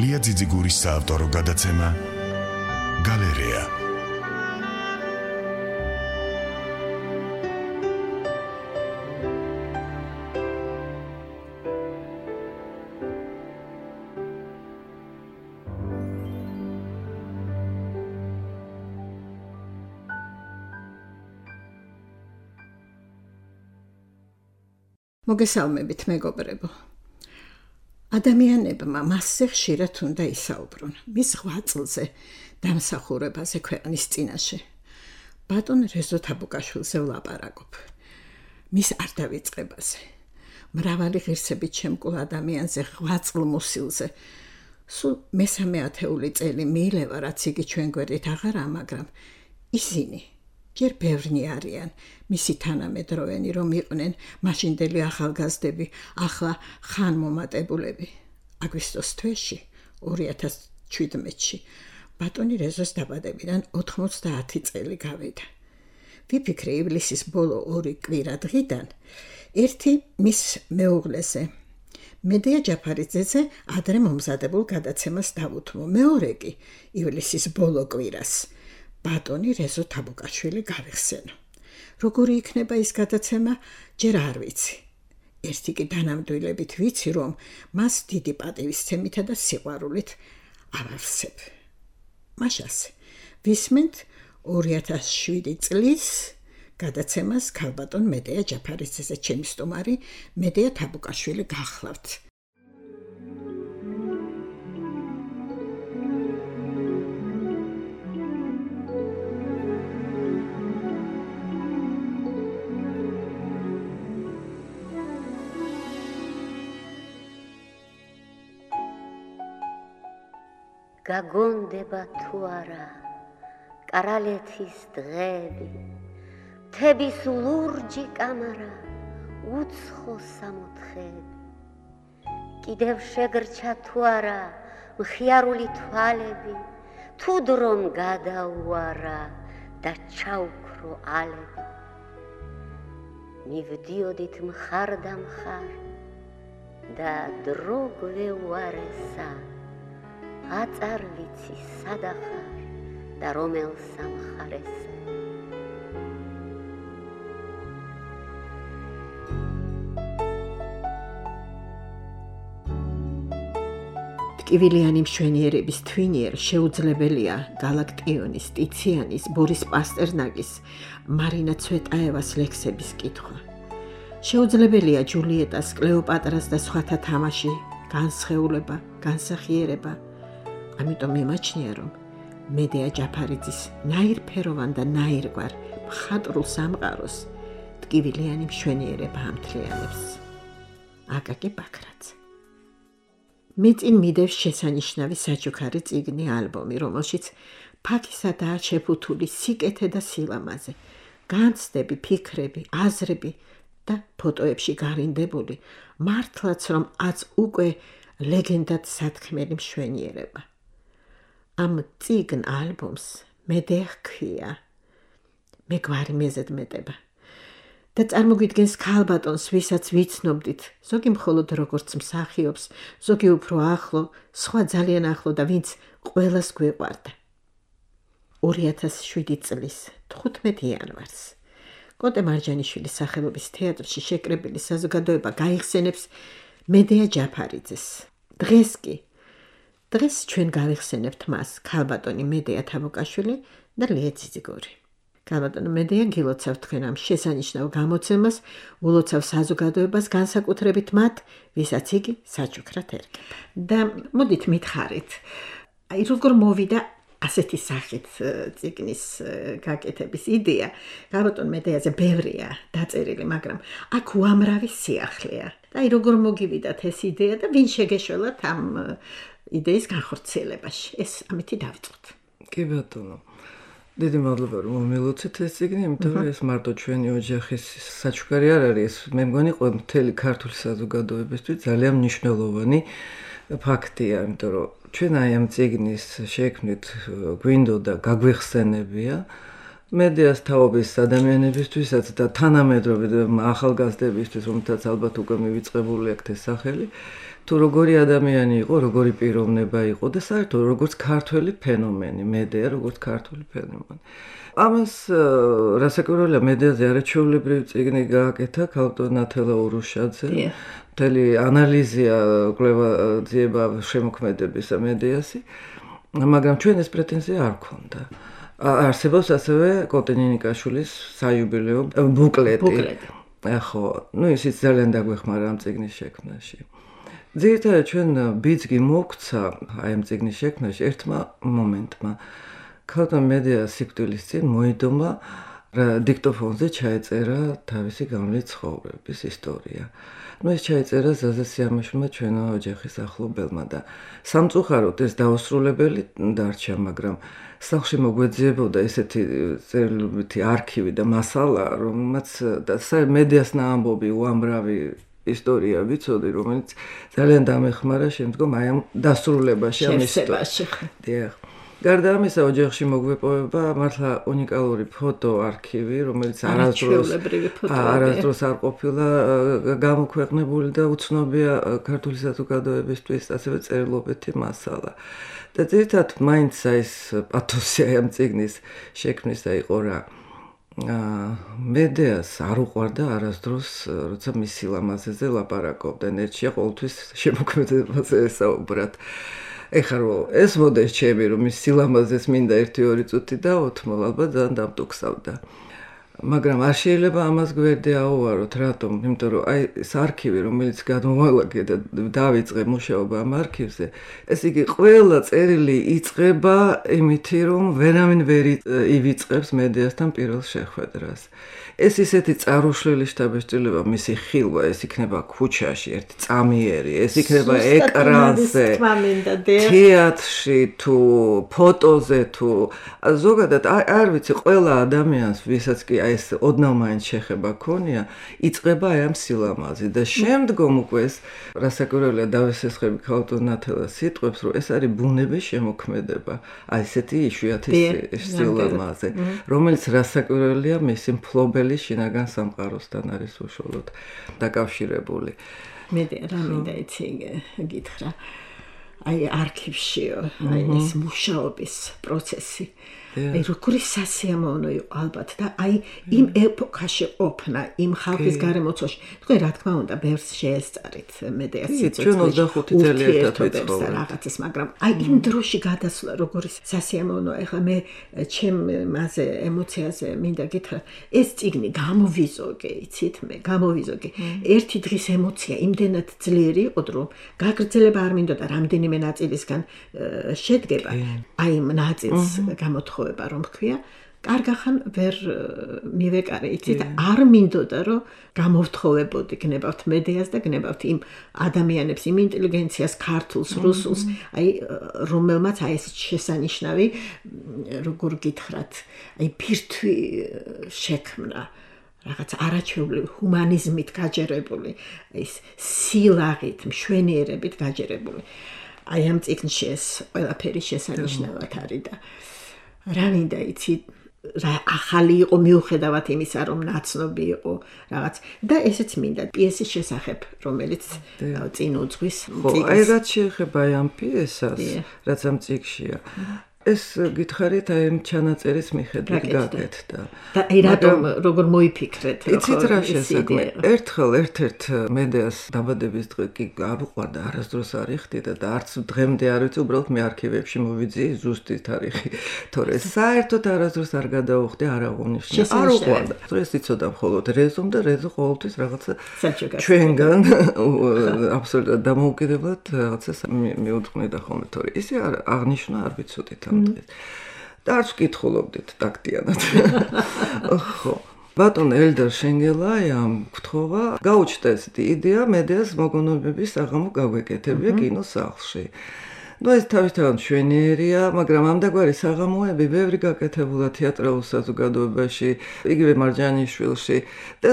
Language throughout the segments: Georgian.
ლია ძიძიგურის საავტორო გადაცემა გალერეა. მოგესალმებით მეგობრებო. ადამიანებმა მასზე ხშირად უნდა ისაუბრონ მის ღვაწლზე, დამსახურებაზე ქვეყნის წინაშე. ბატონ რეზო თაბუკაშვილზე ვლაპარაკობ. მის არ დავიწყებაზე. მრავალი ღირსებით შემკულ ადამიანზე ღვაწლ მოსილზე. სულ მესამე ათეული წელი მიილევა, რაც იგი ჩვენ გვერდით აღარა, მაგრამ ისინი ჯერ ბევრნი არიან, მისი თანამედროვენი რომ იყვნენ მაშინდელი ახალგაზრდები, ახლა ხანმომატებულები. აგვისტოს თვეში 2017-ში ბატონი რეზოს დაბადებიდან 90 წელი გავიდა. ვიფიქრე ივლისის ბოლო 2 კვირა დღიდან ერთი მის მეუღლეზე, მედია ჯაფარიძეზე ადრე მომზადებულ გადაცემას დავუთმო. მეორე კი ივლისის ბოლო კვირას ბატონი რეზო თაბუკაშვილი გავიხსენო. როგორი იქნება ის გადაცემა, ჯერ არ ვიცი. ერთი კი დანამდვილებით ვიცი, რომ მას დიდი პატივისცემითა და სიყვარულით ავავსებ. მაშასე ვისმენთ 2007 წლის გადაცემას ქალბატონ მედია ჯაფარიძეზე. ჩემი სტუმარი მედია თაბუკაშვილი გახლავთ. გაგონდება თუ არა კარალეთის დღეები, თების ლურჯი კამარა, უცხო სამოთხეები. კიდევ შეგრჩა თუ არა მხიარული თვალები, თუ დრომ გადაუარა და ჩაუქრო ალები. მივდიოდით მხარ და მხარ და დრო გვეუარესა, აწარ ვიცი სადახარ და რომელ სამხარესა. ტკივილიანი მშვენიერების თვინიერ შეუძლებელია გალაქტიონის, ტიციანის, ბორის პასტერნაკის, მარინა ცვეტაევას ლექსების კითხვა. შეუძლებელია ჯულიეტას, კლეოპატრას და სხვათა თამაში, განსხეულება, განსახიერება. ამიტომ მიმაჩნია, რომ მედია ჯაფარიძის ნაირფეროვან და ნაირგვარ მხატვრულ სამყაროს ტკივილიანი მშვენიერება ამთლიანებს. აკაკი ბაქრაძე. მე წინ მიდევს შესანიშნავი საჩუქარი წიგნი, ალბომი, რომელშიც ფაქისადაა შეფუთული სიკეთე და სილამაზე, განცდები, ფიქრები, აზრები და ფოტოებში გარინდებული, მართლაც რომ აც უკვე ლეგენდად სათქმელი მშვენიერება. ამ წიგნ ალბომს მედია ჰქვია. მე გვარი მეზედმეტება და წარმოგვიდგენს ქალბატონს, ვისაც ვიცნობდით, ზოგი მხოლოდ როგორც მსახიობს, ზოგი უფრო ახლო, სხვა ძალიან ახლო და ვინც ყველას გვეყვარდა. 2007 წლის 15 იანვარს კოტე მარჯანიშვილის სახელობის თეატრში შეკრებილი საზოგადოება გაიხსენებს მედია ჯაფარიძეს. დღეს ჩვენ გავიხსენებთ მას, ქალბატონი მედია თაბუკაშვილი და ლია ძიძიგური. ქალბატონი მედია გილოცავ თქვენ ამ შესანიშნავ გამოცემას, ულოცავ საზოგადოებას, განსაკუთრებით მათ, ვისაც იგი საჩუქრად ერგება. და მოდით მითხარით, როგორ მოვიდა ასეთი სახით წიგნის გაკეთების იდეა. ქალბატონ მედიაზე ბევრია დაწერილი, მაგრამ აქ უამრავი სიახლეა. და როგორ მოგივიდათ ეს იდეა და ვინ შეგეშველათ ამ იდეის განხორციელებაში? ეს ამითი დავიწყოთ. კი ბატონო. დიდი მადლობა რომ მომილოცეთ ეს წიგნი, იმიტომ რომ ეს მარტო ჩვენი ოჯახის საჩუქარი არ არის, მე მგონი მთელი ქართული საზოგადოებისთვის ძალიან მნიშვნელოვანი ფაქტია, იმიტომ რომ ჩვენ აი ამ წიგნის შექმნით გვინდოდა გაგვიხსენებია მედიას თაობის ადამიანებისთვისაც და თანამედროვე ახალგაზრდებისთვის, რომელთაც ალბათ უკვე მივიწყებული აქვს ეს სახელი თუ როგორი ადამიანი იყო, როგორი პიროვნება იყო და საერთოდ როგორც ქართველი ფენომენი, მედია როგორც ქართული ფენომენი. ამას რასაკვირველია მედიაზე არაჩვეულებრივი წიგნი გააკეთა ქალბატონ ნათელა ურუშაძე. მთელი ანალიზია, კვლევა ძიება შემოქმედების მედიასი, მაგრამ ჩვენ ეს პრეტენზია არ ქონდა. არსებობს ასევე კოტენინიკაშვილის საიუბილეო ბუკლეტი. ხო, ისიც ძალიან დაგვეხმარა ამ წიგნის შექმნაში. ძირითადად ჩვენ ბიძგი მოგვცა აი ამ წიგნის შექმნაში ერთმა მომენტმა. ქალბატონ მედია სიკვდილის წინ მოიდომა დიქტოფონზე ჩაეწერა თავისი გამლით ცხოვრების ისტორია. ეს ჩაეწერა ზაზა სიამაშვილმა ჩვენო ოჯახის ახლობელმა და სამწუხაროდ ეს დაუსრულებელი დარჩა, მაგრამ სახლში მოგვეძიებოდა ესეთი წერილობითი არქივი და მასალა, რომელმაც მედიას ნაამბობი უამრავი ისტორია ვიცოდი, რომელიც ძალიან დამეხმარა შემდგომ აი ამ დასრულებაში, ამ ისტორიაში. დიახ. გარდა ამისა, ოჯახში მოგვეპოვება მართლა უნიკალური ფოტო არქივი, რომელიც არასდროს არ ყოფილა გამოქვეყნებული და უცნობია ქართული საზოგადოებისთვის, ასევე წერილობითი მასალა. და ძირითადად მაინც ეს პათოსი ამ წიგნის შექმნისა იყო რა. მედიას არ უყვარდა არასდროს, როცა მის სილამაზეზე ლაპარაკობდნენ, ერთშია ყოველთვის შემოქმედებაზე ესაუბრათ. ეხლა რომ ეს მოდეს ჩემი რომ ის სილამაზეს მინდა 1-2 წუთი დაოთმო, ალბათ ძალიან დამტოქსავდა. მაგრამ არ შეიძლება ამას გვერდი აუვაროთ, რატომ? იმიტომ რომ აი ეს არქივი, რომელიც გადმოვალაგე და დავიწყე მუშაობა ამ არქივზე, ეს იგი ყველა წერილი იწყება იმითი, რომ ვერავინ ვერ ივიწყებს მედიასთან პირველ შეხვედრას. ეს ისეთი წარუშლილი შთაბეჭდილება, მისი ხილვა, ეს იქნება ქუჩაში, ერთი წამიერი, ეს იქნება ეკრანზე, თეატრში თუ ფოტოზე თუ ზოგადად არ ვიცი, ყველა ადამიანს, ვისაც კი ეს ოდნავ მაინც შეხება ქონია, იწყება აი ამ სილამაზი და შემდგომ უკვე ეს რასაკვირველია დავესესხები ქალბატონ ნათელას სიტყვებს, რომ ეს არის ბუნების შემოქმედება, აი ესეთი იშვიათი სილამაზე, რომელიც რასაკვირველია მისი მფლობელი შინაგან სამყაროსთან არის უშუალოდ დაკავშირებული. მე რა მინდა იცი გითხრა. აი არქივშიო, აი ეს მუშაობის პროცესი. აი როგორი სასიამოვნო იყო ალბათ და აი იმ ეპოქაში ყოფნა, იმ ხალხის გარემოცვაში. თქვენ რა თქმა უნდა, ბევრს შეესწარით მედიას სიძველში. ჩვენ 25 წელი ერთად ვიცხოვთ რაღაცის, მაგრამ აი იმ დროში გადასვლა როგორი სასიამოვნო. ეხლა მე ჩემაზე ემოციაზე მინდა გითხრა, ეს წიგნი გამოვიზოგე, იცით მე, გამოვიზოგე. ერთი დღის ემოცია იმდენად ძლიერი იყო, რომ გაგრძელება არ მინდოდა რამდენიმე ნაწილისგან შედგება. აი იმ ნაწილს გამოთხოვა რომ ქვია, კარგახან ვერ მივეკარე, იცით, არ მინდოდა რომ გამოვთხოვებოდი, გნებავთ მედიას და გნებავთ იმ ადამიანებს, იმ ინტელიგენციას, ქართულს, რუსულს, აი რომელმაც აი ეს შესანიშნავი, როგორ გითხრათ, აი ფირთვი შექმნა. რაღაც არაჩვეულებრივი ჰუმანიზმით გაჯერებული, ის სილაღით, მშვენიერებით გაჯერებული. აი ამ წიგნში ეს ყველაფერი შესანიშნავად არის და რა მინდა იცი, რა ახალი იყო მიუხედავად იმისა, რომ ნაცნობი იყო რაღაც და ესეც მინდა პიესის შესახებ, რომელიც წინ უძღვის წიგნს. აი რაც შეეხება ამ პიესას, რაც ამ წიგნშია. ეს გითხარით აი ამ ჩანაწერის მიხედვით გაკეთდა. და აი რატომ როგორ მოიფიქრეთ? იცით რა შესაძლოა? ერთხელ ერთ-ერთ მედიას დაბადების დღე კი არ უყვარდა, არასდროს არ იხდიდა და არც დღემდე არ ვიცი, უბრალოდ მე არქივებში მოვიძიე ზუსტი თარიღი. თორე საერთოდ არასდროს არ გადაუხდი, არ აღუნიშნა. არ უყვარდა. ეს იცოდა მხოლოდ რეზომ და რეზო ყოველთვის რაღაცა ჩვენგან აბსოლუტურად დამოუკიდებლად რაღაცას მიუძღვნიდა ხოლმე, თორე ისე აღნიშნა არ ვიცოდით. და არც ვკითხულობდით ტაქტიანად. ხო. ბატონ ელდარ შენგელაიამ გთხოვა, გაუჩნდა ესეთი იდეა მედიას მოგონებების საღამო გაგვეკეთებია კინოსახლში. ნუ ეს თავისთავად მშვენიერია, მაგრამ ამდაგვარი საღამოები ბევრი გაკეთებულა თეატრალურ საზოგადოებაში, იგივე მარჯანიშვილში და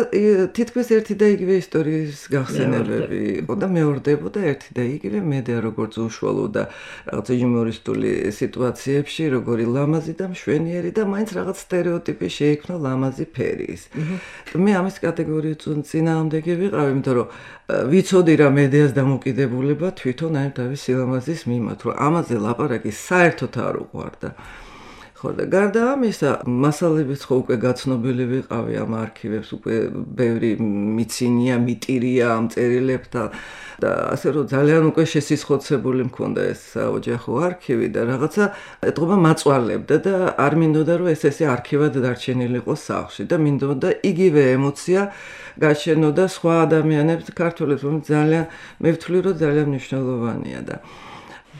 თითქმის ერთი და იგივე ისტორიის გახსენებები იყო და მეორდებოდა ერთი და იგივე მედია როგორც უშუალო და რაღაც იუმორისტული სიტუაციებში, როგორი ლამაზი და მშვენიერი და მაინც რაღაც სტერეოტიპი შეიქმნა ლამაზი ფერის. მე ამის კატეგორიის წინააღმდეგი ვიყავი, იმიტომ რომ ვიცოდი რა მედიას დამოკიდებულება თვითონ აი თავის სილამაზის მიმართ, რომ ამაზე ლაპარაკი საერთოდ არ უყვარდა. ხო და გარდა ამისა, მასალებიც ხო უკვე გაცნობილი ვიყავი ამ არქივებს, უკვე ბევრი მიცინია, მიტირია ამ წერილებთან და ასე რომ ძალიან უკვე შესისხოცებული მქონდა ეს ოჯახო არქივი და რაღაცა ეთყობა მაწვალებდა და არ მინდოდა რომ ეს არქივად დარჩენილიყო სახლში და მინდოდა იგივე ემოცია გაჩენოდა სხვა ადამიანებს ქართველებს, რომ ძალიან მე ვთვლი რომ ძალიან მნიშვნელოვანია და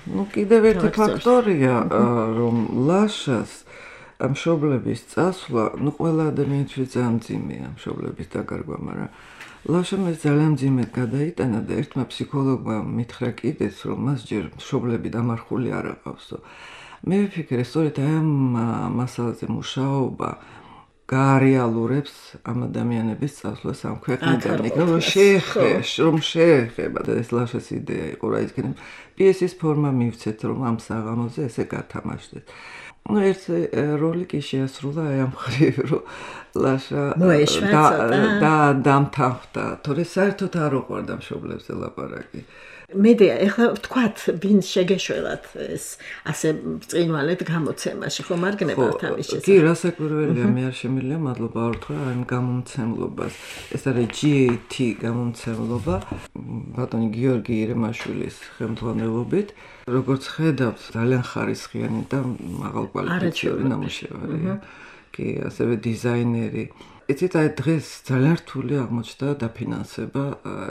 ну კიდევ ერთი ფაქტორია რომ ლაშას მშობლების წასვლა, ну ყველა ადამიანისთვის ძალიან მძიმეა მშობლების დაკარგვა, მაგრამ ლაშამ ეს ძალიან მძიმედ გადაიტანა და ერთმა ფსიქოლოგმა მითხრა კიდეც, რომ მას ჯერ მშობლები დამარხული არ აყავსო. მე ვფიქრე, სწორედ აი ამ მასალაზე მუშაობა გაარეალურებს ამ ადამიანების წასვლას ამ ქვეყნიდან, რომ შეეხება და ეს ლაშას იდეა იყო რა ისქენ პიესის ფორმა მივცეთ, რომ ამ საღამოზე ესე გათამაშდეთ. ну ერთი როლი კი შეასრულა აი ამ ხრივ, რომ ლაშა და დამთავრდა, თორე საერთოდ არ უყვარდა მშობლებზე ლაპარაკი. მედია, ეხლა ვთქვათ, ვინ შეგეშველათ ეს ასე წინვალეთ გამოცემაში, ხომ არ გნებავთ ამის შესახებ? კი, რასაკვირველია, მე არ შემიძლია მადლობა არ ვთქვა ამ გამომცემლობას. ეს არის GAT გამომცემლობა, ბატონი გიორგი ირემაშვილის ხელმძღვანელობით. როგორც ხედავთ, ძალიან ხარისხიანი და მაღალკვალიფიციური ნამუშევარია. კი, ასევე დიზაინერი. იცით, აი დღეს ძალიან რთული აღმოჩნდა დაფინანსება,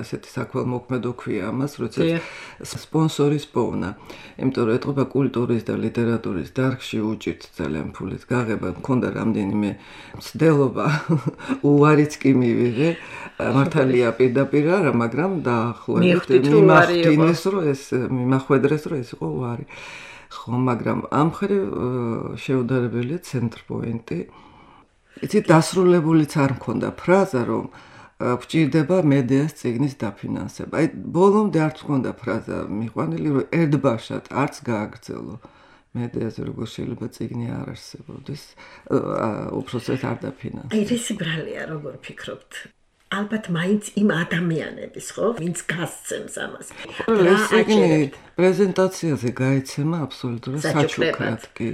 ესეთი საქველმოქმედო ქვია ამას, როდესაც სპონსორის პოვნა. იმიტომ რომ ეთყობა კულტურის და ლიტერატურის დარგში უჭირთ ძალიან ფულით გაღება, მქონდა რამდენიმე მცდელობა, უარიც კი მივიღე, მართალია პირდაპირ არა, მაგრამ დაახლოებით მიმახვედრეს, რომ ეს იყო უარი. ხო, მაგრამ ამ მხრივ შეუდარებელია ცენტრპოინტი. იცით, დასრულებულიც არ მქონდა ფრაზა, რომ გვჭირდება მედიას წიგნის დაფინანსება. აი, ბოლომდე არც მქონდა ფრაზა მიყვანილი, რომ ერთბაშად არც გააგრძელო მედიაზე, როგორ შეიძლება წიგნი არ არსებობდეს, უпростоეთ არ დაფინანსება. აი, ეს ბრალია, როგორ ფიქრობთ? ალბათ მაინც იმ ადამიანების, ხო, ვინც გასცემს ამას. ეს წიგნი პრეზენტაციაზე გაიცემა აბსოლუტურად საჩუქრად, კი.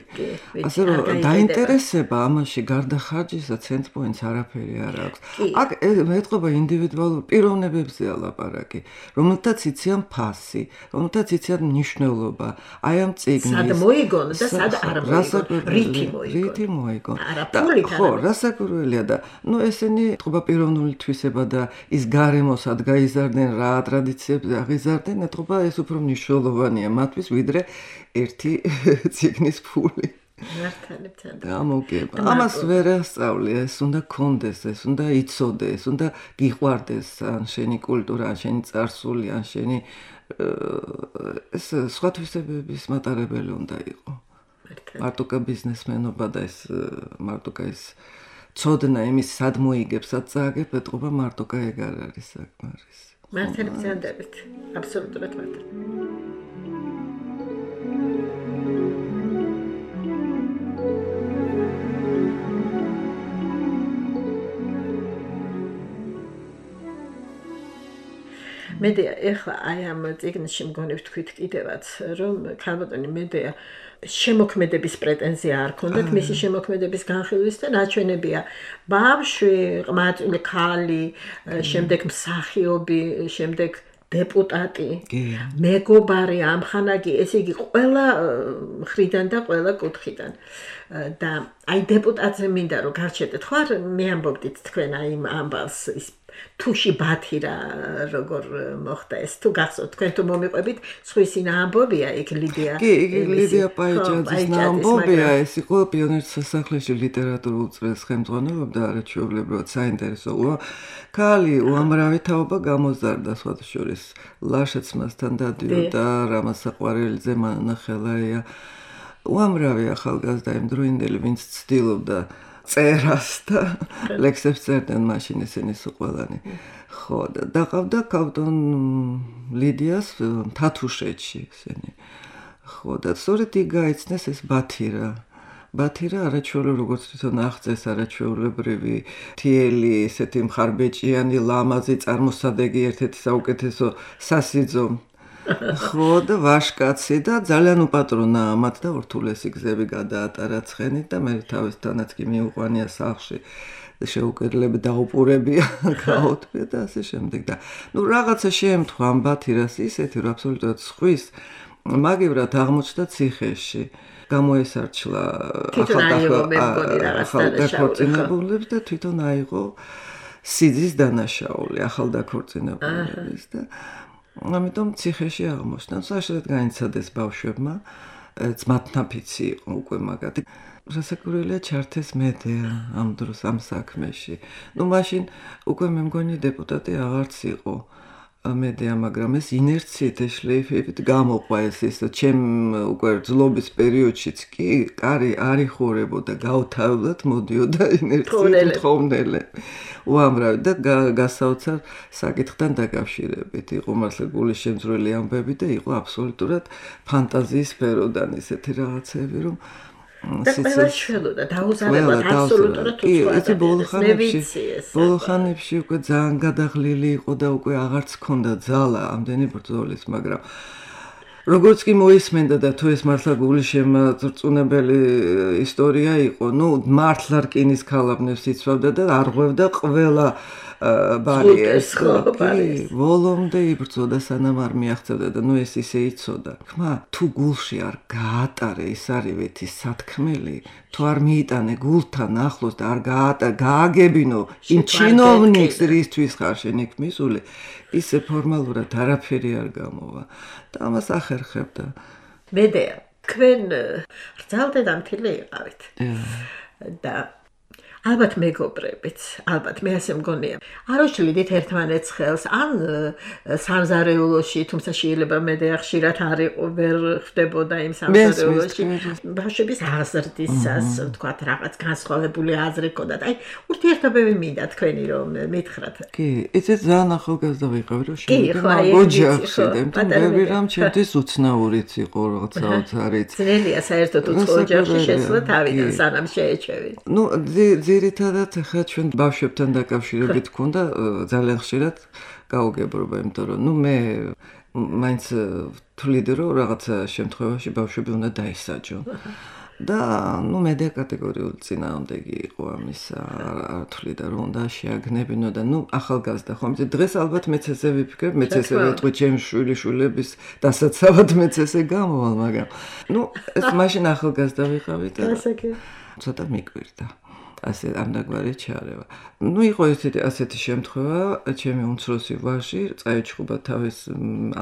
ასე რომ დაინტერესება ამაში გარდა ხარჯისა ცენტრპოინტს არაფერი არ აქვს. აქ ეთყობა ინდივიდუალურ პიროვნებებზეა ლაპარაკი, რომელთაც იციან ფასი, რომელთაც იციან მნიშვნელობა. აი ამ წიგნის სად მოიგონ და სად არ მოიგონ, რითი მოიგონ. ხო, რასაკვირველია და ნუ ესენი ეთყობა პიროვნული თვისება და ის გარემოსად გაიზარდნენ, რა ტრადიციებზე აღიზარდნენ, ეთყობა ეს უფრო მნიშვნელოვანია მათთვის, ვიდრე ერთი წიგნის ფული. მართალია. გამოგება. ამას ვერ ასწავლია, ეს უნდა კონდეს, ეს უნდა იცოდე, ეს უნდა გიყვარდეს ან შენი კულტურა, ან შენი წარსული, ან შენი ეს სხვა თვისებების მატარებელი უნდა იყო. მარტო ბიზნესმენობა და ეს მარტო ეს ცოდნა იმის სად მოიგებს, სად წააგებ, ეთყობა მარტო ეგ არ არის საკმარის. მართალია ძანდებით. აბსოლუტურად მართალია. მედია, ეხლა აი ამ წიგნში მგონი ვთქვით კიდევაც, რომ ქალბატონი მედია შემოქმედების პრეტენზია არ ქონდათ, მისი შემოქმედების განხილვის და ნაჩვენებია ბავშვი, ყმაწვილი ქალი, შემდეგ მსახიობი, შემდეგ დეპუტატი, მეგობარი, ამხანაგი, ესე იგი ყველა მხრიდან და ყველა კუთხიდან. და აი დეპუტატზე მინდა რომ გარჩევდეთ, ხო არ მე ამბობდით თქვენ აი ამ ამბავს ის თუში ბათირა როგორ მოხდა ეს თუ გახსოვთ თქვენ თუ მომიყვებით სხვისი ამბობია იქ ლიდია კი ლიდია პაიჭაძის ამბობია ეს იყო პიონერთა სასახლეში ლიტერატურულ წრეს ხელმძღვანელობდა არაჩვეულებრივად საინტერესო ქალი უამრავი თაობა გამოზარდა სხვათა შორის ლაშეც მასთან დადიოდა რამაზ საყვარელიძე მანანა ხელაია უამრავი ახალგაზრდა იმდროინდელი ვინც ცდილობდა წერას და ლექსებს წერდნენ მაშინ ესენი სუყველანი. ხო და დაყავდა კავტონ ლიდიას თათუშეთში ესენი. ხო და სწორედ იქ გაიცნეს ეს ბათირა. ბათირა არაჩვეულებრივი როგორც თვითონ აღწეს არაჩვეულებრივი თიელი ესეთი მხარბეჭიანი ლამაზი წარმოსადეგი ერთ-ერთი საუკეთესო სასიძო ხო და ვაშკაცი და ძალიან უპატრონა მათ და ურთულესი გზები გადაატარა ცხენით და მე თავისთანაც კი მიუყვანია სახლში შეუკედლები დაუპურებია გაუთმე და ასე შემდეგ და ნუ რაღაცა შეემთხვა ამ ბათირას ისეთი რომ აბსოლუტურად სხვის მაგივრად აღმოჩნდა ციხეში გამოესარჩლა ახალდაქორწინებულებს და თვითონ აიღო სიძის დანაშაული ახალდაქორწინებულების და ამიტომ ციხეში აღმოჩნდა. საშუალოდ განიცადეს ბავშვებმა, ძმათნაფიცი იყო უკვე მაგათი. რასაკვირველია ჩართეს მედეა ამ დროს ამ საქმეში. ნუ მაშინ უკვე მე მგონი დეპუტატი აღარც იყო მედეა, მაგრამ ეს ინერციით შლეიფებით გამოყვა ეს ჩემ უკვე ძლობის პერიოდშიც კი კარი არ იხურებოდა, გაუთავებლად მოდიოდა ინერციით თხოვნელე. უამრავი და გასაოცარ საკითხთან დაკავშირებით იყო მართლა გულის შემძვრელი ამბები და იყო აბსოლუტურად ფანტაზიის სფეროდან ესეთი რაღაცები რომ და ყველა შველოდა დაუზარებად აბსოლუტურად უცხოა ბოლო ხანებში უკვე ძალიან გადაღლილი იყო და უკვე აღარც ჰქონდა ძალა ამდენი ბრძოლის მაგრამ როგორც კი მოისმენდა და თუ ეს მართლა გულის შემაწრწუნებელი ისტორია იყო ნუ მართლა რკინის ქალაბნევს იცვავდა და არღვევდა ყველა ბარიერს ვოლომდე იბრძოდა სანამ არ მიაღწევდა და ნუ ეს ისე იცოდა ხმა თუ გულში არ გაატარე ის არივეთი სათქმელი თუ არ მიიტანე გულთან ახლოს და არ გააგებინო იმ ჩინოვნიკს რისთვის ხარ შენ იქ მისული ისე ფორმალურად არაფერი არ გამოვა და ამას ახერხებდა მედეა თქვენ რძალდედამთილი იყავით და ალბათ მეგობრებიც, ალბათ მე ასე მგონია. არ უშლიდით ერთმანეთს ხელს, ან სამზარეულოში, თუმცა შეიძლება მედეა ხშირად არ იყო, ვერ ხდებოდა იმ სამზარეულოში. ბავშვების აზრდისას, თქვათ, რაღაც განსხვავებული აზრი ჰქონდათ. აი, ურთიერთობები მინდა თქვენი რომ მითხრათ. კი, იცით ძალიან ახალგაზრდა ვიყავი, რომ შემდგომ ოჯახში და მე რამ ჩემთვის უცნაურიც იყო რაღაცააც არის. ძნელია საერთოდ უცხო ოჯახში შესვლა თავიდან სანამ შეეჩევით. ნუ ძირითადად ხა ჩვენ ბავშვებთან დაკავშირებით გქონდა ძალიან ხშირად გაუგებრობა, იმიტომ რომ ნუ მე მაინც თვლიდი რომ რაღაცა შემთხვევაში ბავშვები უნდა დაისაჯონ. და ნუ მედია კატეგორიული წინააღმდეგი იყო ამისა, არ თვლიდა რომ უნდა შეაგნებინო და ნუ ახალგაზრდა ხომ დღეს ალბათ მეც ესე ვიფიქრებ, მეც ესე ვიტყვი ჩემ შვილიშვილების დასაცავად მეც ესე გამოვალ, მაგრამ ნუ ეს მაშინ ახალგაზრდა ვიყავი და ცოტა მიკვირდა. ასე ამდაგვარი ჩარევა. ნუ იყო ასეთი შემთხვევა, ჩემი უმცროსი ვაჟი წაეჩხუბა თავის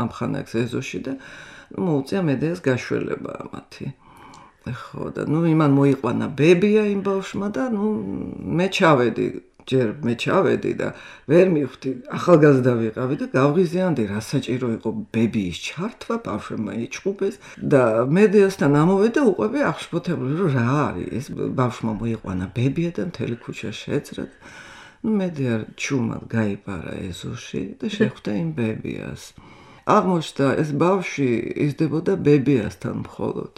ამხანაგს ეზოში და მოუწია მედეას გაშველება მათი. ხო და ნუ იმან მოიყვანა ბებია იმ ბავშვმა და ნუ მე ჩავედი და ვერ მივხვდი ახალგაზრდა ვიყავი და გავღიზიანდი რა საჭირო იყო ბებიის ჩართვა ბავშვმა იჩხუბეს და მედეასთან ამოვედა უყვები აღშფოთებული რომ რა არის ეს ბავშვმა მოიყვანა ბებია და მთელი ქუჩა შეძრა ნუ მედეა ჩუმად გაიპარა ეზოში და შეხვდა იმ ბებიას აღმოჩნდა ეს ბავშვი იზრდებოდა ბებიასთან მხოლოდ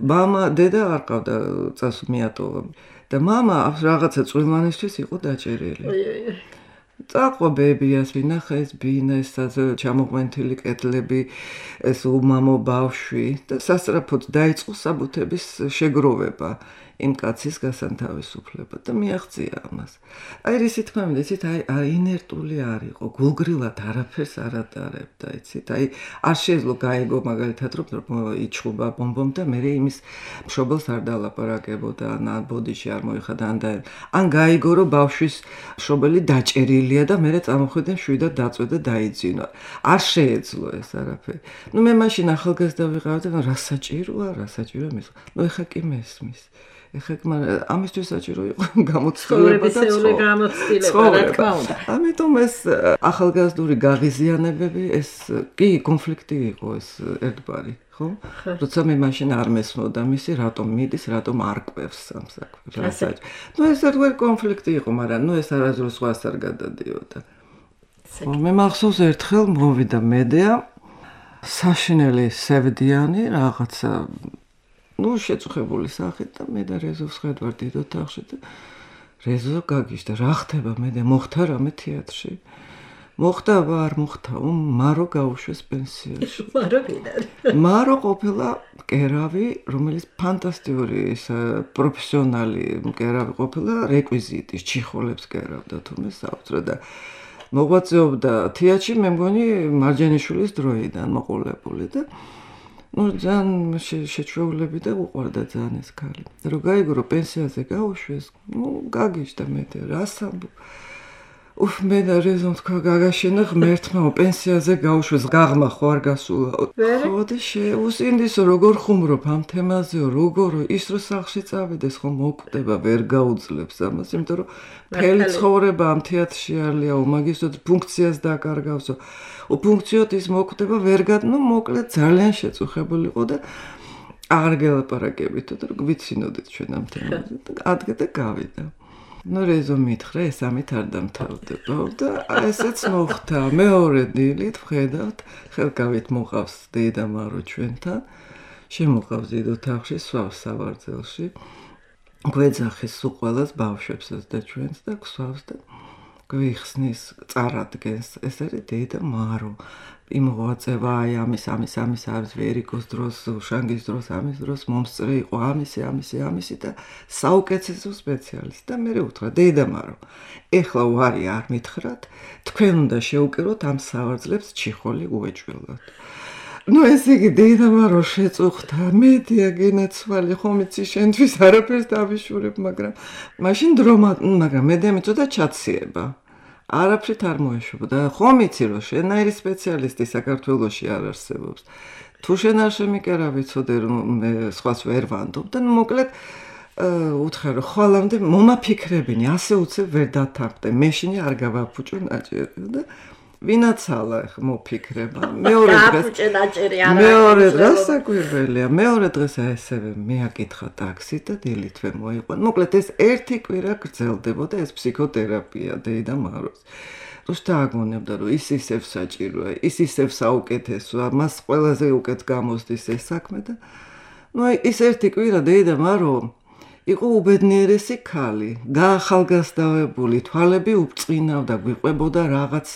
მამა დედა არ ყავდა წასულ მიატოვა და მამა რაღაცა წვრილმანისთვის იყო დაჭერილი. წაყვა ბებიას, ვინახა ეს ბინა, ეს ჩამოყვანილი კედლები, ეს უმამო ბავშვი და სასწრაფოდ დაიწყო საბუთების შეგროვება იმ კაცის გასანთავისუფლება და მიაღწია ამას. აი რისი თქმა მინდა, იცით, აი ინერტული არ იყო, გულგრილად არაფერს არ ატარებდა, იცით, აი არ შეძლო გაიგო მაგალითად რომ იჩხუბა ბომბომ და მე იმის მშობელს არ დალაპარაკებოდა, ან ბოდიში არ მოიხადა, ან გაიგო რომ ბავშვის მშობელი დაჭერილი დილია და მე წამოხვიდე მშვიდად დაწვე და დაიძინო. არ შეეძლო ეს არაფერი. მე მაშინ ახალგაზრდა ვიყავდი, რა საჭიროა მის. ეხა კი მესმის. ეხა ამისთვის საჭირო იყო გამოცდილება და გამოცდილება, რა თქმა უნდა. ამიტომ ეს ახალგაზრდული გაღიზიანებები, ეს კი კონფლიქტი იყო ეს ერთგვარი. ხო? როცა მე მაშინ არ მესმოდა მისი, რატომ მიდის, რატომ არ კვევს სამსაკვებს, რა საჭირო. ეს ერთგვარი კონფლიქტი იყო, მაგრამ ეს არასდროს სხვას არ გადადიოდა. მე მახსოვს ერთხელ მოვიდა მედეა საშინელი სევდიანი რაღაცა შეწუხებული სახით და მე და რეზოს ხედავ დიდ ოთახში და რეზო გაგიშდა რა ხდება მედეა მოხდა რამე თეატრში მოხდა არ მოხდა მარო გაუშვეს პენსიაში მარო ყოფილა მკერავი რომელიც ფანტასტიკური პროფესიონალი მკერავი ყოფილა რეკვიზიტის ჩიხოლებს კერავდა თუმე საოცრად და მოღვაწეობდა თეატრში მე მგონი მარჯანიშვილის დროიდან მოყოლებული და ძალიან შეჩვეულები და უყვარდა ძალიან ეს ქალი. რო გაიგო პენსიაზე გაუშვეს, გაგიშდა მე რასამ მე და რეზონ თქვა გაგაშენა ღმერთმა პენსიაზე გაუშვეს გაღმა ხო არ გასულა. ხო და შეუსინდისო როგორ ხუმრობ ამ თემაზეო როგორ ის რო სახლში წავიდეს ხო მოკვდება ვერ გაუძლებს ამას იმიტომ რომ მთელი ცხოვრება ამ თეატრში არლია მაგისტრო ფუნქციას დაკარგავსო ფუნქციოთ ის მოკვდება ვერ მოკლედ ძალიან შეწუხებული იყო და არ გელაპარაკებითო და გვიცინოდეთ ჩვენ ამ თემაზე და ადგე და გავიდა რეზო მითხრა ეს ამით არ დამთავრდება და ესეც მოხდა მეორე დილით ვხედავთ ხელკავით მოყავს დედა მარო ჩვენთან შემოყავს დიდ ოთახში სვავს სავარძელში გვეძახის სულ ყველას ბავშვებსაც და ჩვენს და გვსვავს და გვიხსნის წარადგენს ეს არის დედა მარო იმოღაწევა აი ამის ვერიკოს დროს შანგის დროს ამის დროს მომსწრე იყო ამისი და საუკეთესო სპეციალისტი და მე უთხრა დედა მარო ეხლა ვარი არ მითხრათ თქვენ უნდა შეუკეროთ ამ სავარძლებს ჩიხოლი უეჭველოთ ეს იგი დედა მარო შეწუხდა მედია გენაცვალი ხომ იცი შენთვის არაფერს დავიშურებ მაგრამ მაშინ მაგრამ მედია მიწოდა ჩაციება არაფრით არ მოეშვებოდა ხომ იცი რომ შენაირი სპეციალისტი საქართველოში არ არსებობს თუ შენ არ შემიკერავი ცოდე რომ მე სხვას ვერ ვანდობ და მოკლედ უთხრა რომ ხვალამდე მომაფიქრებინი ასე უცებ ვერ დათანხმდე მეშინი არ გავაფუჭო ნაჭერი და ვინაცალა მოფიქრება მეორე დღეს საკვირველია მეორე დღეს ესევე მეაკითხა ტაქსი და დილითვე მოიყვან მოკლედ ეს ერთი კვირა გრძელდებოდა ეს ფსიქოთერაპია დედა მაროს რუსთა აგონებდა რომ ის ისევ საჭიროა ის ისევ საუკეთესოა მას ყველაზე უკეთ გამოსდის ეს საქმე და ის ერთი კვირა დედა მარო იყო უბედნიერესი ქალი, გაახალგაზრდავებული, თვალები უბწყინავდა, გვიყვებოდა რაღაც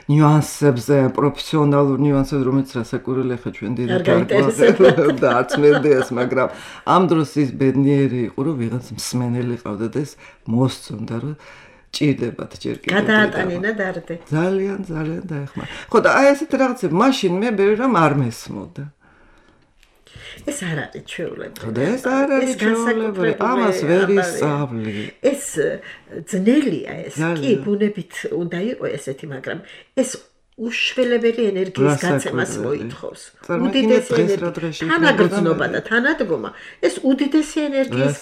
ნიუანსებზე, პროფესიონალურ ნიუანსებზე, რომელიც რასაკვირველი ხა ჩვენ დედაკარგვაზე და არც მედეას, მაგრამ ამ დროს ის ბედნიერი იყო, რომ ვიღაც მსმენელი ყავდა და ეს მოსწონდა, რომ ჭირდებათ ჯერ კიდევ. გადაატანინა დარდე. ძალიან დაეხმარა. ხო და აი ესეთ რაღაცები მაშინ მე ბევრი რამ არ მესმოდა. ეს არ არის ჩვეულებრივი. ეს არ არის ჩვეულებრივი. ამას ვერ ისწავლი. ეს ძნელია ეს. კი, ბუნებით უნდა იყოს ესეთი, მაგრამ ეს უშველებელი ენერგიის გაცემას მოითხოვს. უდიდესი ენერგია, თანაგრძნობა და თანადგომა, ეს უდიდესი ენერგიის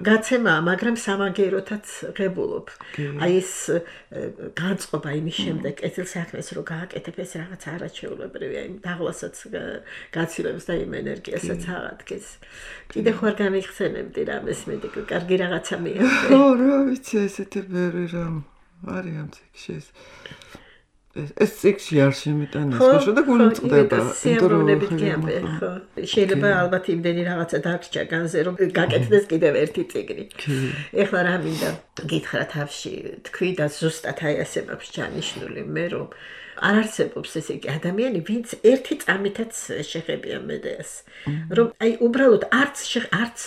გაცემაა, მაგრამ სამაგეროთაც ღებულობ. აი ეს განწყობა იმის შემდეგ, კეთილსაქმეს რო გააკეთებ, ეს რაღაც არაჩვეულებრივია, იმ დაღლასაც გაცილებს და იმ ენერგიასაც აღადგენს. კიდე ხარ განიხსენებდი რამეს მე კარგი რაღაცა მიიღე. ხო, რა ვიცი, ესეთი ბევრი რამ არის ამ ციკში. ეს ციკში არ შემიტანეს, ხო და გულმწყდება. სიამოვნებით გიამბე, ხო. შეიძლება ალბათ იმდენი რაღაცა დაგჭა განზე, რომ გაკეთდეს კიდევ ერთი ციგნი. ეხლა რა მინდა გითხრა თავში, თქვი და ზუსტად აი ასე მაქვს ჩანიშნული მე რომ არ არსებობს ესე იგი ადამიანი, ვინც ერთი წამითაც შეხებია მედეას. რომ აი უბრალოდ არც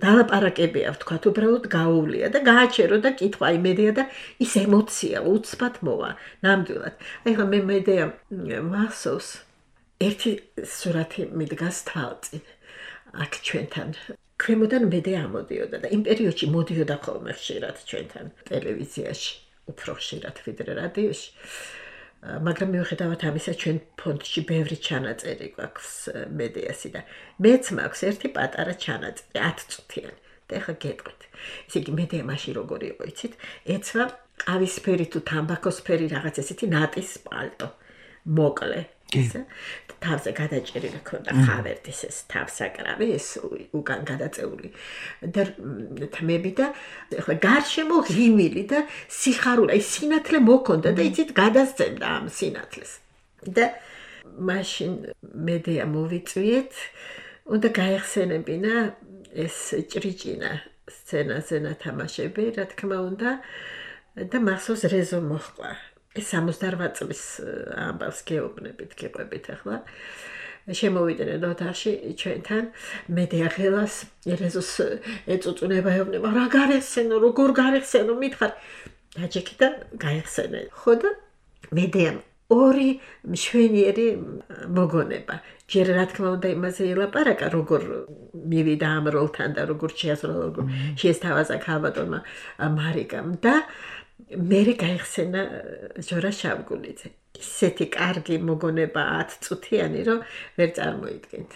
დალაპარაკებია, ვთქვათ, უბრალოდ გაუვლია და გააჩერო და კითხვა აი მედეა და ის ემოცია უცბად მოვა. ნამდვილად. აი ხა მე მედეა მახსოვს ერთი სურათი მიდგას თვალწინ. აქ ჩვენთან ქვემოდან მედეა ამოდიოდა და იმ პერიოდში მოდიოდა ხოლმე ხშირად ჩვენთან ტელევიზიაში. უფრო ხშირად ვიდრე რადიოში. მაგრამ მიუხედავად ამისა, ჩვენ ფონდში ბევრი ჩანაწერი გვაქვს მედეასი და მეც მაქვს ერთი პატარა ჩანაწერი 10 წუთიანი. და ახლა გეტყვით. ესე იგი მედეა მაშინ როგორი იყო, იცით? ეცვა ყავისფერი თუ თამბაქოსფერი რაღაც ესეთი ნატის პალტო. მოკლე. ისე თავზე გადაჭერილი ქონდა ხავერდის ეს თავსაკრავი ეს უკან გადაწეული და თმები და ახლა გარშემო ღიმილი და სიხარული აი სინათლე მოქონდა და იცით გადასცემდა ამ სინათლეს და მაშინ მედეა მოვიწვიეთ უნდა გაიხსენებინა ეს ჭრიჭინა სცენაზე ნათამაშები რა თქმა უნდა და მახსოვს რეზო მოხდა ეს 68 წლის ამბავს გეუბნებით, გიყვებით ახლა. შემოვიდნენ ოთახში ჩვენთან მედეა ხელას ერეზოს ეწუწუნება ეუბნება, რა გარეხსენო, როგორ გარეხსენო, მითხარ. დაჭექი და გაიხსენე. ხო და მედეამ ორი მშვენიერი მოგონება. ჯერ რა თქმა უნდა იმაზე ელაპარაკა, როგორ მივიდა ამ როლთან და როგორ შეესთავაზა ქალბატონმა მარიკამ და მერე გაიხსენა ჟორა შავგულიძე. ისეთი კარგი მოგონება 10 წუთიანი, რომ ვერ წარმოიდგენთ.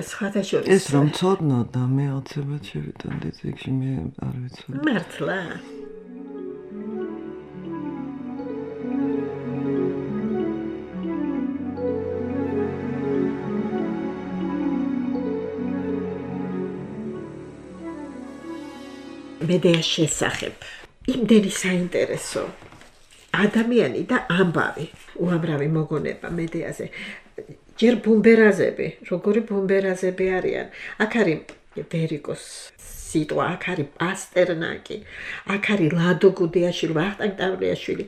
სხვათა შორის ეს რომ ცოდნოდა მე აუცილებლად შევიტანდი წიგნში მე არ ვიცოდი. მართლა. მედეას შესახებ იმდენი საინტერესო ადამიანი და ამბავი უამრავი მოგონება მედეაზე ჯერ ბუმბერაზები როგორი ბუმბერაზები არიან აქ არის ვერიკოს სიტყვა აქ არის პასტერნაკი აქ არის ლადო გუდიაშვილი ვახტანგ ტავლიაშვილი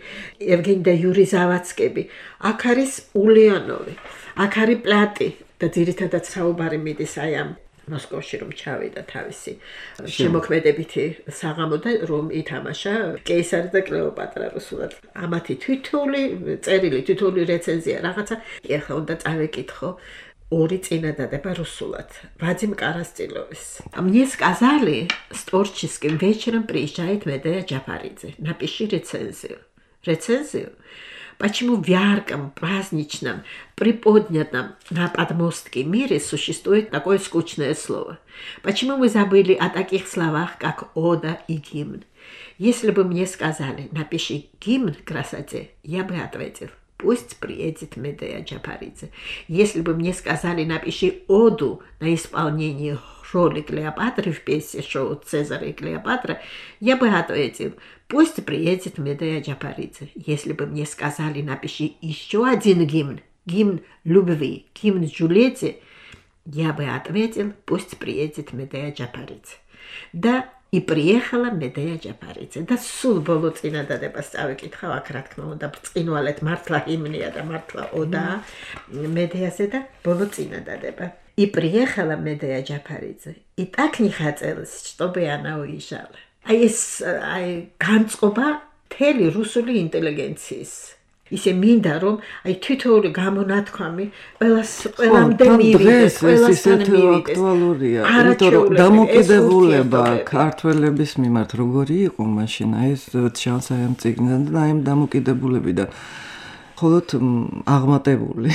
ევგენი და იური ზავაცკები აქ არის ულიანოვი აქ არის პლატი და ძირითადად საუბარი მიდის აი ამ მოსკოვში რომ ჩავიდა თავისი შემოქმედებითი საღამო და რომ ითამაშა კეისარი და კლეოპატრა რუსულად. ამათი თითოეული რეცენზია რაღაცა. ეხლა უნდა წავეკითხო ორი წინადადება русულად. Вадим Карастиловис. Мне сказали, творческим вечером приезжает Медея Джапаридзе. Напиши рецензию. Рецензию? Почему в ярком, праздничном, приподнятом на подмостке мире существует такое скучное слово? Почему мы забыли о таких словах, как ода и гимн? Если бы мне сказали, напиши гимн красоте, я бы ответил, пусть приедет Медея Джапаридзе. Если бы мне сказали, напиши оду на исполнение роли Клеопатры в пьесе шоу «Цезарь и Клеопатра», я бы ответил, пусть приедет Медея Джапаридзе. Если бы мне сказали, напиши еще один гимн любви, гимн Джульетте, я бы ответил, пусть приедет Медея Джапаридзе. Да, и приехала Медея Джапаридзе. Да сул боло წინადადებას წავიკითხავ აქ რა თქმა უნდა ბრწყინვალეთ მართლა ჰიმნია და მართლა ოდა მედეაზე და боло წინადადება. И приехала Медея Джапаридзе. И так не хотелось, чтобы она уезжала. აი განწყობა მთელი რუსული ინტელიგენციის. ისე მინდა რომ აი თითოეული გამონათქვამი ყველამდე მივიდეს, ყველასთან მივიდეს. აქტუალურია, იმიტომ რომ დამოკიდებულება ქართველების მიმართ როგორი იყო მაშინ აი ეს ჩანს აი ამ წიგნიდან და აი ამ დამოკიდებულებიდან მხოლოდ აღმატებული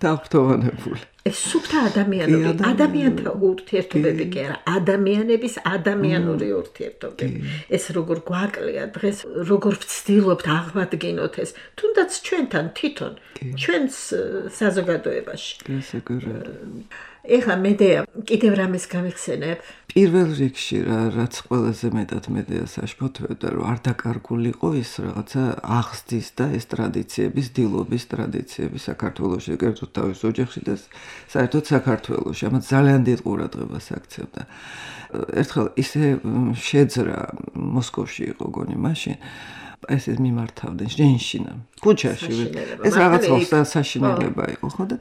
და აღფრთოვანებული. ეს სუფთა ადამიანთა ურთიერთობები კი არა, ადამიანების ადამიანური ურთიერთობები. ეს როგორ გვაკლია დღეს, როგორ ვცდილობთ აღვადგინოთ ეს, თუნდაც ჩვენთან თვითონ, ჩვენს საზოგადოებაში. ეხლა მედეა კიდევ რამეს გამიხსენებ? პირველ რიგში რაც ყველაზე მეტად მედეას აშფოთებდა, რომ არ დაკარგულიყო ის რაღაცა აღზრდის და ეს ტრადიციების, დილობის ტრადიციები საქართველოში, კერძოდ თავის ოჯახში და საერთოდ საქართველოში. ამათ ძალიან დიდ ყურადღებას აქცევდა. ერთხელ ისე შეძრა მოსკოვში იყო გონი მაშინ ეს მიმართავდნენ ჟენშინა ქუჩაში. ეს რაღაც საშინელება იყო, ხო და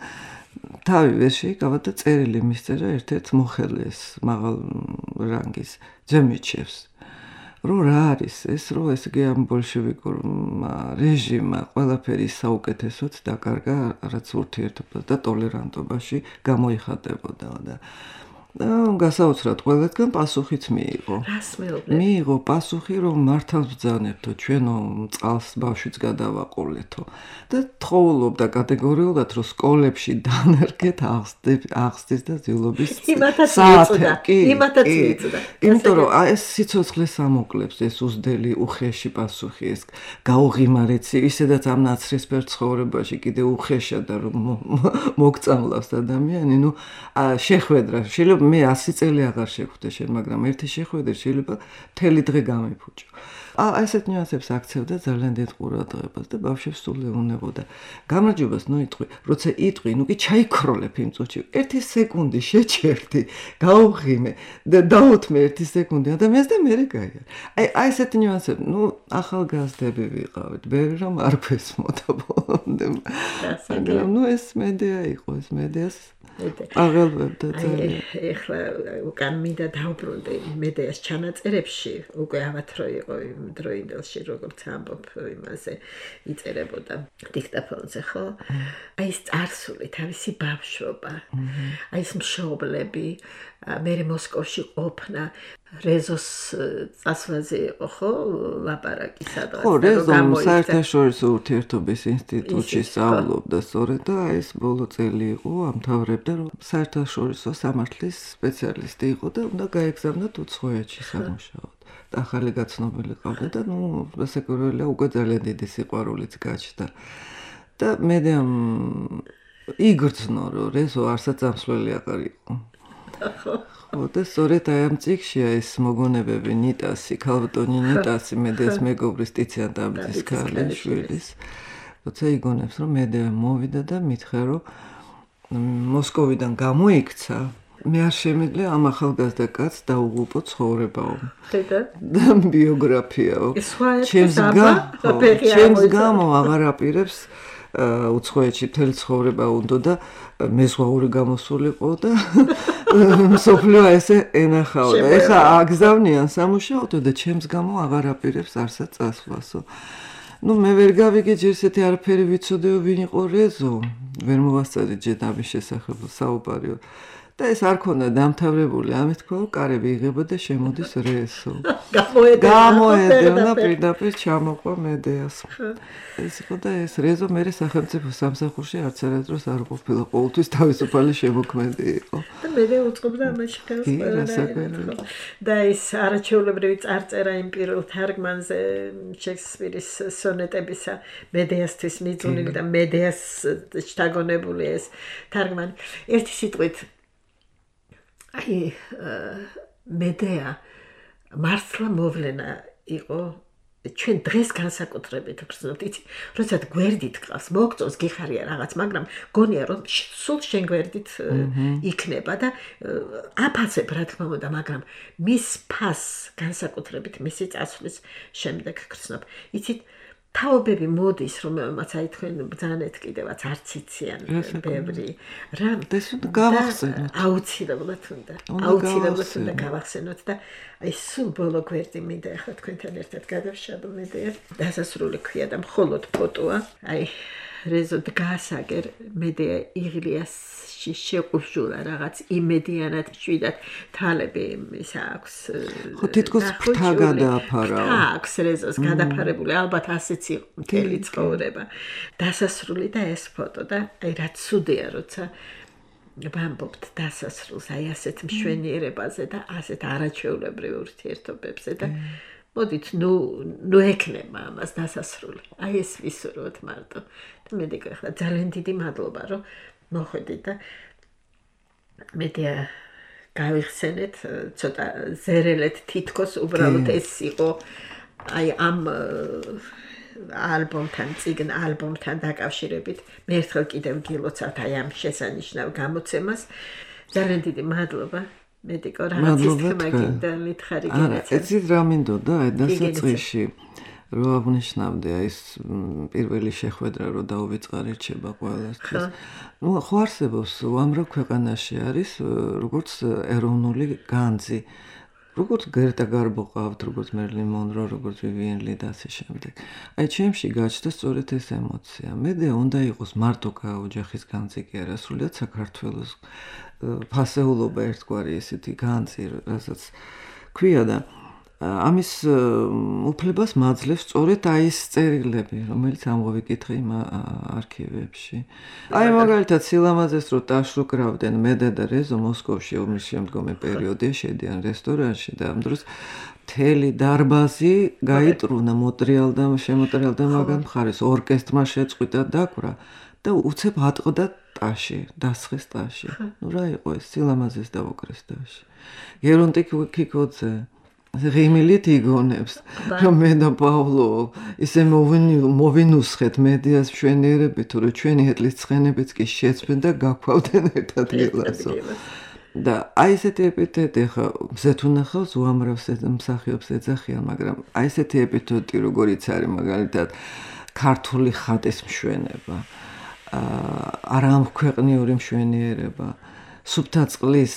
თავი ვერ შეიკავა და წერილი მისწერა ერთ-ერთ მოხელეს მაღალ რანგის ძემიჩევს. რომ რა არის ეს, რომ ეს იგი ამ ბოლშევიკურმა რეჟიმმა ყველაფერი საუკეთესოდ დაკარგა, რაც ურთიერთობა და ტოლერანტობაში გამოიხატებოდა და გასაოცრად ყველგან პასუხიც მიიღო. რას მეუბნები? მიიღო პასუხი, რომ მართალ ბრძანებთო, ჩვენო წყალს ბავშვიც გადავაყოლეთო და თხოვლობდა კატეგორიულად, რომ სკოლებში დანერგეთ აღზრდის და ძილობის საათი. იმათაც იწოდა. იმიტომ რომ ეს სიცოცხლეს ამოკლებს, ეს უზდელი უხეში პასუხი, ეს გაუღიმარეთი, ისედაც ამ ნაცრისფერ ცხოვრებაში კიდე უხეშად რომ მოგწამლავს ადამიანი, ნუ შეხვედრა შეიძლება მე 100 წელი აღარ შეხვდე შენ, მაგრამ ერთი შეხვედრა შეიძლება მთელი დღე გამიფუჭო. ასეთ ნიუანსებს აქცევდა ძალიან დიდ ყურადღებას და ბავშვებს სულ ეუბნებოდა. გამარჯვებას ნუ იტყვი, როცა იტყვი, ნუ კი ჩაიქროლებ იმ წუთში. 1 სეკუნდი შეჩერდი, გაუღიმე და დაუთმე 1 სეკუნდი ადამიანს და მე გაიარ. აი ასეთ ნიუანსები, ნუ ახალგაზრდები ვიყავით, ბევრი რომ არ გვესმოდა ბოლომდე. მაგრამ ნუ ეს მედია იყო, ეს მედიას აღელვებდა ძალიან. ეხლა უკან მინდა დავბრუნდე მედიას ჩანაწერებში, უკვე ავათრო იყო იმ დროინდელში, როგორც ამბობ იმაზე იწერებოდა დიქტაფონზე, ხო? აი ეს წარსული, თავისი ბავშვობა, აი ეს მშობლები, მე მოსკოვში ყოფნა, რეზოს წასვლაზე იყო, ხო? ლაპარაკი სადღაც. ხო, რეზო საერთაშორისო ურთიერთობის ინსტიტუტში სწავლობდა სწორედ და ეს ბოლო წელი იყო, ამთავრებდა, რომ საერთაშორისო სამართლის სპეციალისტი იყო და უნდა გაეგზავნათ უცხოეთში სამუშაოდ. ახალი გაცნობილი ყავდა და ნუ რასაკვირველია უკვე ძალიან დიდი სიყვარულიც გაჩნდა. და მედიამ იგრძნო, რომ რეზო არსად წამსვლელი აღარ იყო. ხო, და სწორედ აი ამ წიგნშია ეს მოგონებები ნიტასი, ქალბატონი ნიტასი, მედიას მეგობრის ტიციან დავითის ქალიშვილის. როცა იგონებს, რომ მედია მოვიდა და მითხრა, რომ მოსკოვიდან გამოიქცა, მე არ შემიძლია ამ ახალგაზრდა კაცს დაუღუპო ცხოვრებაო. და ბიოგრაფიაო. ჩემს გამო აღარ აპირებს უცხოეთში მთელი ცხოვრება უნდა და მეზღვაური გამოსულიყო და მსოფლიო ესე ენახავდა. ეხა აგზავნიან სამუშაოდ და ჩემს გამო აღარ აპირებს არსად წასვლასო. ნუ მე ვერ გავიგე ჯერ ესეთი არაფერი ვიცოდეო ვინ იყო რეზო. ვერ მოვასწარი ჯერ ამის შესახებ საუბარიო. და ეს არ ქონდა დამთავრებული, ამით თქვა, კარები იღება და შემოდის რეზო. გამოედევნა პირდაპირ ჩამოყვა მედიას. ეს იყო და ეს რეზო მე სახელმწიფო სამსახურში არც არასდროს არ ყოფილა, ყოველთვის თავისუფალი შემოქმედი იყო. და მე უწყობდა ამაში ხელს. და ეს არაჩვეულებრივი წარწერა იმ პირველ თარგმანზე შექსპირის სონეტებისა მედიასთვის მიძღვნილი და მედიას შთაგონებული ეს თარგმანი. ერთი სიტყვით აი მედია მართლა მოვლენა იყო ჩვენ დღეს განსაკუთრებით გრძნობთ, იცი, როცა გვერდით ყავს, მოგწონს გიხარია რაღაც, მაგრამ გონია რომ სულ შენ გვერდით იქნება და აფასებ რა თქმა უნდა, მაგრამ მის ფას განსაკუთრებით მისი წასვლის შემდეგ გრძნობ. იცით, თაობები მოდის, რომელმაც აი თქვენ ბრძანეთ კიდევაც არც იციან ბევრი რა გავახსენოთ. აუცილებლად უნდა გავახსენოთ და აი სულ ბოლო გვერდი მინდა ახლა თქვენთან ერთად გადავშალო მედია. დასასრული ქვია და მხოლოდ ფოტოა. აი რეზო დგასაგერ მედია იღლიასში შეყუშულა რაღაც იმედიანად შვიდად თალები ის აქვს. ხო თითქოს ფთა გადააფარა. აქვს რეზოს გადაფარებული, ალბათ ასეც იყო მთელი ცხოვრება. დასასრული და ეს ფოტო და აი რა ცუდია როცა ვამბობთ დასასრულს აი ასეთ მშვენიერებაზე და ასეთ არაჩვეულებრივ ურთიერთობებზე და მოდით ნუ ეკნება ამას დასასრული. აი ეს ვისურვოთ მარტო. და მე დაგეხლა ძალიან დიდი მადლობა რომ მოხვედით და მედია გავიხსენეთ ცოტა ზერელეთ თითქოს უბრალოდ ეს იყო აი ამ ალბომთან დაკავშირებით მე ერთხელ კიდევ გილოცავთ აი ამ შესანიშნავ გამოცემას. ძალიან დიდი მადლობა. მედიკო რაღაცის თქმა გინდა მითხარი გენეცი. ეცით რა მინდოდა აი დასაწყისში რო აღნიშნავდე ეს პირველი შეხვედრა რო დაუვიწყარი რჩება ყველასთვის. ნუ ხო არსებობს უამრავ ქვეყანაში არის როგორც ეროვნული განძი როგორც გერტა გარბო ყავთ, როგორც მერლინ მონრო, როგორც ვივიენ ლი და ასე შემდეგ. აი ჩემში გაჩნდა სწორედ ეს ემოცია. მედეა უნდა იყოს მარტო ოჯახის განძი კი არა, სრულიად საქართველოს ფასეულობა ერთგვარი ესეთი განძი, რასაც ქვია და ამის უფლებას მაძლევს სწორედ აი ეს წერილები, რომელიც ამოვიკითხე იმ არქივებში. აი მაგალითად სილამაზეს რო ტაშრუ კრავდნენ მედე და რეზო მოსკოვში ომის შემდგომი პერიოდია შედიან რესტორანში და ამ დროს მთელი დარბაზი გაიტრუნა მოტრიალდა შემოტრიალდა მაგან მხარეს ორკესტრმა შეწყვიტა დაკვრა და უცებ ატყდა ტაში, დასხეს ტაში. ნუ რა იყო ეს სილამაზეს დაუკრეს ტაში. გერონტი კიკოძე ღიმილით იგონებს, რომ მე და პავლო ისე მოვინუსხეთ მედიას მშვენიერებით, თუ რომ ჩვენი ეტლის ცხენებიც კი შეცვლენ და გაქვავდნენ ერთად გილასო. და აი ესეთი ეპითეტი ხა მზეთ უნახავს უამრავს მსახიობს ეძახიან, მაგრამ აი ესეთი ეპითეტი როგორიც არის მაგალითად ქართული ხატის მშვენება, არამქვეყნიური მშვენიერება, სუფთა წყლის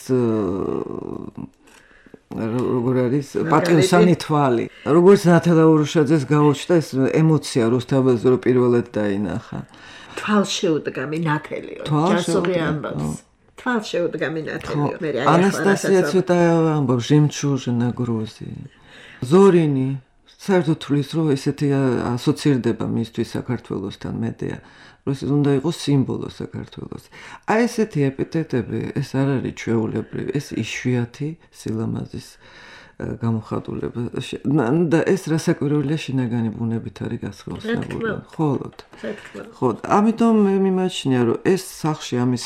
როგორ არის პატიოსანი თვალი. როგორც ნათალა ურუშაძეს გაუჩნდა ეს ემოცია რუსთაველზე რო პირველად დაინახა. თვალშეუდგამი ნათელიო. ჯასური ამბობს. თვალშეუდგამი ნათელიო. მე აი ანასტასია ცვეტაევა ამბობს ჟემჩუჟნა გრუზი. ზორინი საერთოდ თulis რომ ესეთი ასოცირდება მისთვის საქართველოსთან მედეა. რომ ეს უნდა იყოს სიმბოლო საქართველოს. აი ესეთი ეპითეტები, ეს არ არის ჩვეულებრივი, ეს იშვიათი სილამაზის გამოხატულება. და ეს რასაკვირველია შინაგანი ბუნებით არის გასხელსებული. ხოლოდ. ხო, ამიტომ მე მიმაჩნია, რომ ეს სახში ამის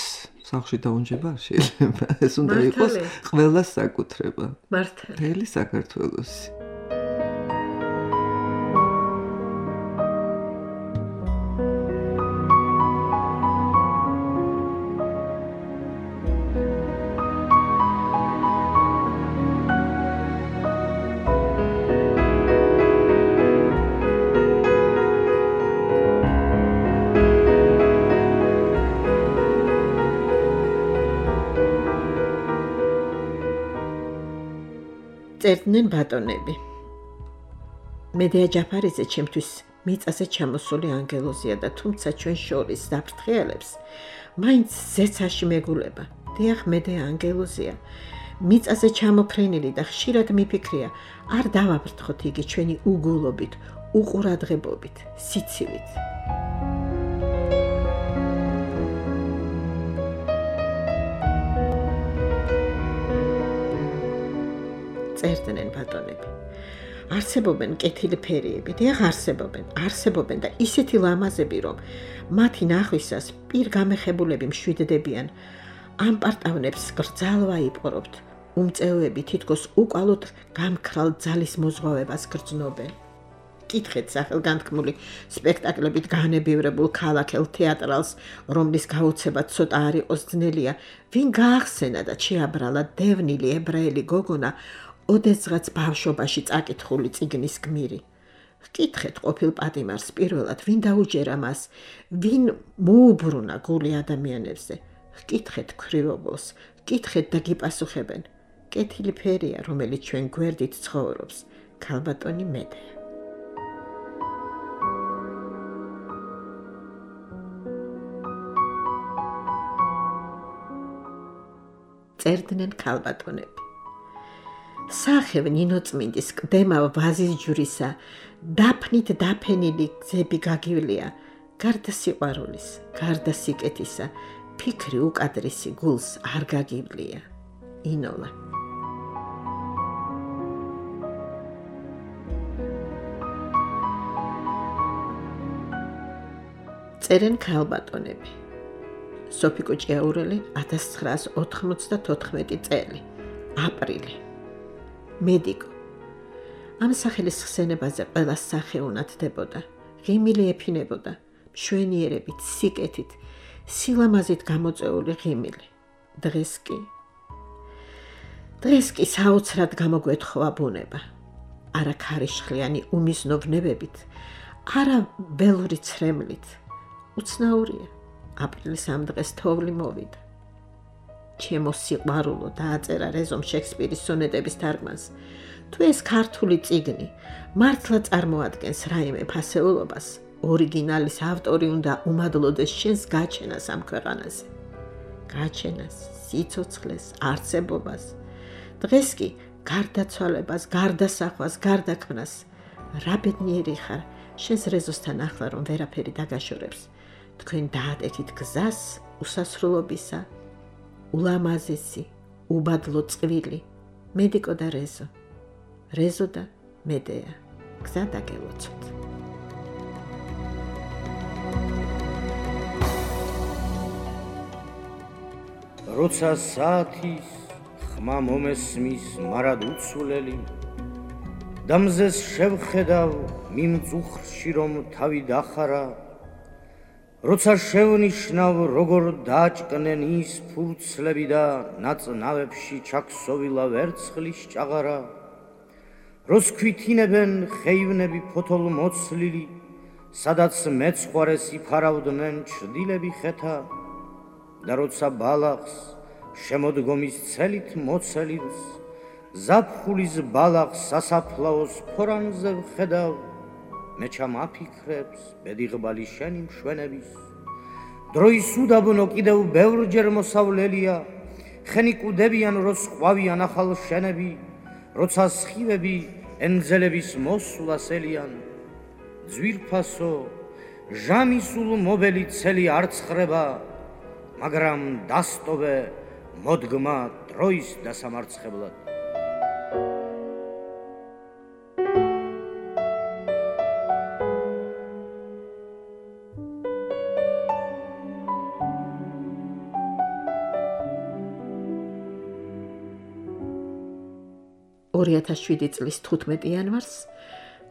სახში დაუნჯება შეიძლება. ეს უნდა იყოს ყველას საკუთრება. მართალი. მთელი საქართველოსი. წერდნენ ბატონები. მედეა ჯაფარიძე ჩემთვის მიწაზე ჩამოსული ანგელოზია და თუმცა ჩვენ შორის საფრთხეელებს მაინც ზეცაში მეგულება. დიახ, მედეა ანგელოზია. მიწაზე ჩამოფრენილი და ხშირად მიფიქრია, არ დავაბრთხოთ იგი ჩვენი უგულობით, უყურადღებობით, სიცივით. წერდნენ ბატონები. არსებობენ კეთილი ფერიები, დიახ არსებობენ და ისეთი ლამაზები, რომ მათი ნახვისას პირგამეხებულები მშვიდდებიან. ამ პარტავნებს გრძალვა იპყრობთ. უმწეოები თითქოს უკვალოდ გამქრალ ძალის მოზღვავებას გრძნობენ. კითხეთ სახელგანთქმული სპექტაკლებით განებივრებულ ქალაქელ თეატრალს, რომლის გაუცება ცოტა არ იყოს ძნელია, ვინ გაახსენა და შეაბრალა დევნილი ებრაელი გოგონა ოდესღაც ბავშვობაში წაკითხული წიგნის გმირი. Გკითხეთ ყოფილ პატიმარს პირველად, ვინ დაუჯერა მას, ვინ მოუბრუნა გული ადამიანებზე. Გკითხეთ ქვრივობილს, გკითხეთ და გიპასუხებენ. კეთილი ფერია, რომელიც ჩვენ გვერდით ცხოვრობს, ქალბატონი მედეა. წერდნენ ქალბატონები. სახევ ნინოწმინდის კდემა ვაზის ჯვრისა, დაფნით დაფენილი გზები გაგივლია, გარდა სიყვარულის, გარდა სიკეთისა, ფიქრი უკადრისი გულს არ გაგივლია. ინოლა. წერენ ქალბატონები. სოფიკო ჭიაურელი 1994 წელი, აპრილი. მედიკო. ამ სახელის ხსენებაზე ყველას სახე უნათდებოდა, ღიმილი ეფინებოდა, მშვენიერებით, სიკეთით, სილამაზით გამოწეული ღიმილი. დღეს კი საოცრად გამოგვეთხოვა ბუნება. არა ქარიშხლიანი უმიზნო ვნებებით, არა ველური ცრემლით. უცნაურია, აპრილის ამ დღეს თოვლი მოვიდა. ჩემო სიყვარულო დააწერა რეზომ შექსპირის სონეტების თარგმანს. თუ ეს ქართული წიგნი მართლა წარმოადგენს რაიმე ფასეულობას, ორიგინალის ავტორი უნდა უმადლოდეს შენს გაჩენას ამ ქვეყანაზე. გაჩენას, სიცოცხლეს, არსებობას. დღეს კი გარდაცვალებას, გარდასახვას, გარდაქმნას რა ბედნიერი ხარ, შენს რეზოსთან ახლა რომ ვერაფერი დაგაშორებს. თქვენ დაატეკით გზას უსასრულობისა, ულამაზესი, უბადლო წვილი, მედიკო და რეზო. რეზო და მედეა, გზა დაგელოცოთ. როცა საათის ხმა მომესმის მარად უცვლელი და მზეს შევხედავ მიმწუხრში რომ თავი დახარა, როცა შევნიშნავ როგორ დააჭკნენ ის ფურცლები და ნაწნავებში ჩაქსოვილა ვერცხლის ჭაღარა, როს ქვითინებენ ხეივნები ფოთოლმოცლილი, სადაც მეცხვარეს იფარავდნენ ჩრდილები ხეთა, და როცა ბალახს შემოდგომის ცელით მოცელილს, ზაფხულის ბალახს სასაფლაოს ფორანზე ვხედავ, მე ჩამაფიქრებს ბედიღბალი შენი მშვენების. დროის უდაბნო კიდევ ბევრჯერ მოსავლელია, ხენი კუდებიან როს ყვავიან ახალ შენები, როცა სხივები ენძელების მოსვლას ელიან. ძვირფასო ჟამისულ მობელი ცელი არ ცხრება, მაგრამ დასტოვე მოდგმა დროის დასამარცხებლად. წლის 15 იანვარს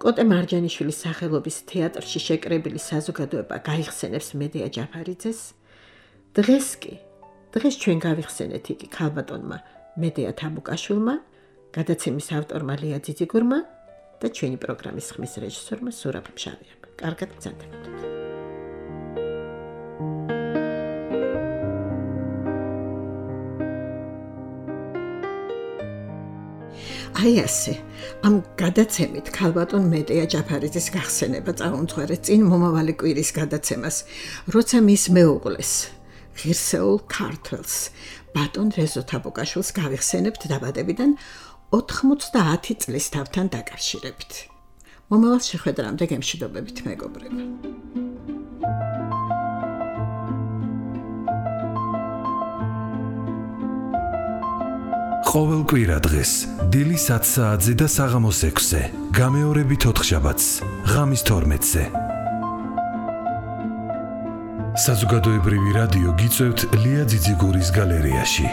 კოტე მარჯანიშვილის სახელობის თეატრში შეკრებილი საზოგადოება გაიხსენებს მედეა ჯაფარიძეს. დღეს ჩვენ გავიხსენეთ იგი ქალბატონმა მედეა თაბუკაშვილმა, გადაცემის ავტორმა ლია ძიძიგურმა და ჩვენი პროგრამის ხმის რეჟისორმა სურაბ მშავიამ. კარგად გრძანდებოდეთ. აი ასე, ამ გადაცემით ქალბატონ მედეა ჯაფარიძის გახსენება წაუმძღვარეთ წინ მომავალი კვირის გადაცემას, როცა მის მეუღლეს, ღირსეულ ქართველს, ბატონ რეზო თაბუკაშვილს გავიხსენებთ დაბადებიდან 90 წლის თავთან დაკავშირებით. მომავალ შეხვედრამდე გემშვიდობებით მეგობრებო. ყოველ კვირა დღეს დილის 10 საათზე და საღამოს 6-ზე, გამეორებით 4 შაბათს, ღამის 12-ზე. საზოგადოებრივი რადიო გიწევთ ლია ძიძიგურის გალერეაში.